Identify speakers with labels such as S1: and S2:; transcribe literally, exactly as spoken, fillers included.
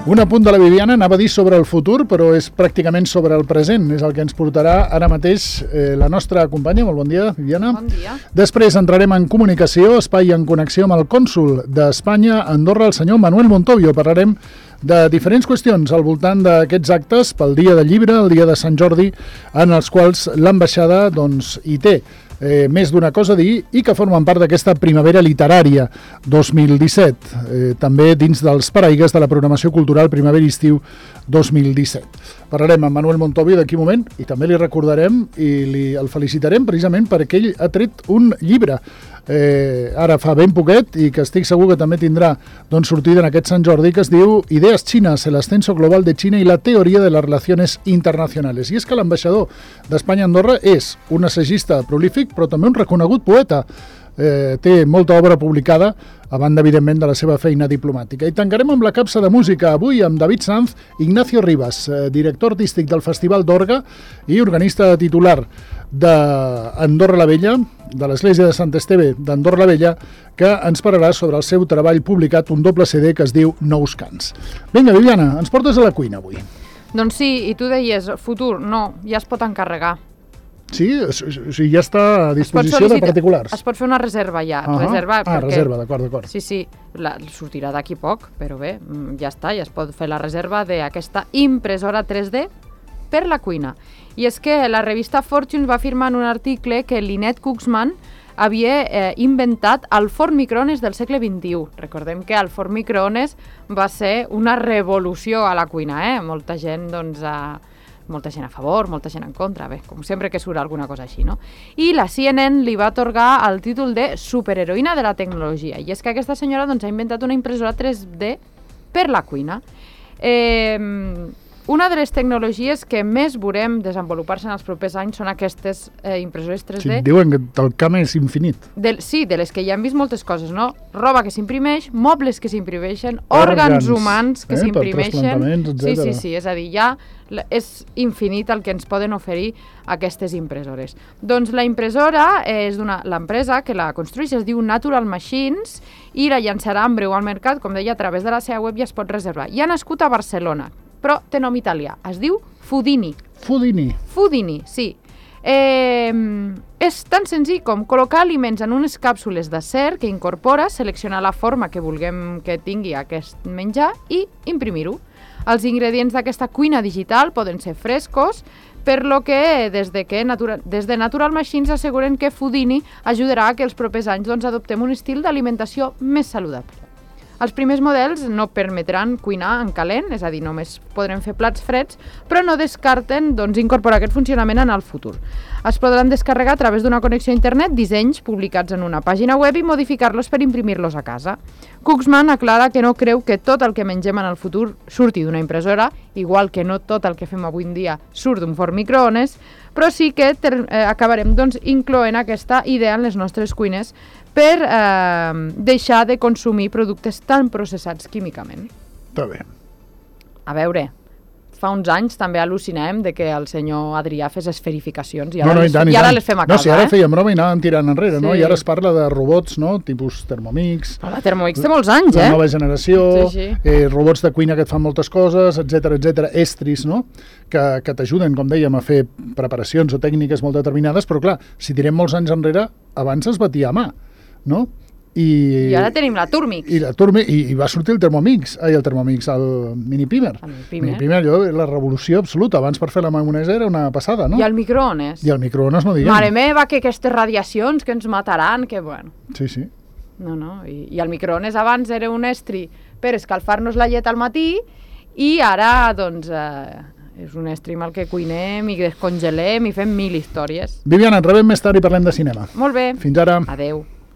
S1: Un apunt de la Viviana, anava a dir sobre el futur, però és pràcticament sobre el present. És el que ens portarà ara mateix eh, la nostra companya. Molt bon dia, Viviana.
S2: Bon dia.
S1: Després entrarem en comunicació, espai en connexió amb el cònsol d'Espanya a Andorra, el senyor Manuel Montovio. Parlarem de diferents qüestions al voltant d'aquests actes pel dia del llibre, el dia de Sant Jordi, en els quals l'ambaixada doncs, hi té Eh, més d'una cosa a dir i que formen part d'aquesta primavera literària dos mil disset, eh, també dins dels paraigues de la programació cultural primavera-estiu dos mil disset. Parlarem amb Manuel Montovio d'aquí un moment i també li recordarem i li, el felicitarem precisament perquè ell ha tret un llibre eh, ara fa ben poquet i que estic segur que també tindrà doncs, sortida en aquest Sant Jordi, que es diu Ideas Chinas, el ascenso global de China y la teoría de las relaciones internacionales. I és que l'ambaixador d'Espanya a Andorra és un assagista prolífic però també un reconegut poeta. Eh, té molta obra publicada, a banda, evidentment, de la seva feina diplomàtica. I tancarem amb la capsa de música, avui amb David Sanz, Ignacio Rivas, eh, director artístic del Festival d'Orga i organista titular d'Andorra la Vella, de l'Església de Sant Esteve d'Andorra la Vella, que ens parlarà sobre el seu treball publicat, un doble C D que es diu Nous Cants. Vinga, Viviana, ens portes a la cuina avui.
S2: Doncs sí, i tu deies, futur, no, ja es pot encarregar.
S1: Sí? O sigui, ja està a disposició de particulars.
S2: Es pot fer una reserva ja.
S1: Uh-huh.
S2: reserva
S1: ah,
S2: perquè...
S1: reserva, d'acord, d'acord.
S2: Sí, sí, la, sortirà d'aquí poc, però bé, ja està, ja es pot fer la reserva d'aquesta impressora tres D per la cuina. I és que la revista Fortune va afirmar en un article que Lynette Kuxman havia eh, inventat el forn microones del segle vint-i-u. Recordem que el forn microones va ser una revolució a la cuina, eh? Molta gent, doncs, a... molta gent a favor, molta gent en contra, bé, com sempre que surt alguna cosa així, no? I la C N N li va atorgar el títol de superheroïna de la tecnologia, i és que aquesta senyora doncs, ha inventat una impressora tres D per la cuina. Eh, una de les tecnologies que més veurem desenvolupar-se en els propers anys són aquestes eh, impressores tres D.
S1: Sí, diuen que el camp és infinit.
S2: De, sí, de les que ja hem vist moltes coses, no? Roba que s'imprimeix, mobles que s'imprimeixen, òrgans humans que eh, s'imprimeixen. Sí, sí, sí, és a dir, ja és infinit el que ens poden oferir aquestes impressores. Doncs la impressora és d'una l'empresa que la construeix, es diu Natural Machines, i la llançarà en breu al mercat, com deia, a través de la seva web ja es pot reservar. I ha nascut a Barcelona, però té nom italià, es diu Fudini.
S1: Fudini.
S2: Fudini, sí. Eh, és tan senzill com col·locar aliments en unes càpsules d'acer que incorpora, seleccionar la forma que vulguem que tingui aquest menjar i imprimir-ho. Els ingredients d'aquesta cuina digital poden ser frescos, per lo que des de, que Natura, des de Natural Machines asseguren que Fudini ajudarà a que els propers anys doncs, adoptem un estil d'alimentació més saludable. Els primers models no permetran cuinar en calent, és a dir, només podrem fer plats freds, però no descarten doncs, incorporar aquest funcionament en el futur. Es podran descarregar a través d'una connexió a internet dissenys publicats en una pàgina web i modificar-los per imprimir-los a casa. Kuxman aclara que no creu que tot el que mengem en el futur surti d'una impressora, igual que no tot el que fem avui en dia surt d'un forn microones, però sí que ter, eh, acabarem doncs, incloent aquesta idea en les nostres cuines per eh, deixar de consumir productes tan processats químicament.
S1: Està bé.
S2: A veure, fa uns anys també al·lucinàvem de que el senyor Adrià fes esferificacions i ara,
S1: no, no,
S2: les,
S1: i tant,
S2: i
S1: i
S2: ara
S1: tant.
S2: les fem a casa.
S1: No, si ara
S2: eh?
S1: fèiem broma i anàvem tirant enrere,
S2: sí.
S1: no? I ara es parla de robots, no? Tipus Thermomix.
S2: Però la Thermomix té molts anys,
S1: la
S2: eh?
S1: La nova generació,
S2: sí, sí.
S1: Eh, robots de cuina que et fan moltes coses, etcètera, etcètera, estris, no? Que, que t'ajuden, com dèiem, a fer preparacions o tècniques molt determinades, però clar, si tirem molts anys enrere, abans es batia a mà, no? I,
S2: I ara tenim la Turmix.
S1: I, la Turmix, i, i va sortir el Thermomix, ai, el Thermomix, el Mini Pimer.
S2: El Mini Pimer.
S1: Mini Pimer, allò, la revolució absoluta. Abans per fer la maionesa era una passada, no?
S2: I el microones.
S1: I el microones, no diguem.
S2: Mare meva, que aquestes radiacions que ens mataran, que bueno.
S1: Sí, sí.
S2: No, no, i, i el microones abans era un estri per escalfar-nos la llet al matí i ara, doncs, eh, és un estri amb el que cuinem i descongelem i fem mil històries.
S1: Viviana, et rebem més tard i parlem de cinema.
S2: Molt bé.
S1: Fins ara.
S2: Adeu.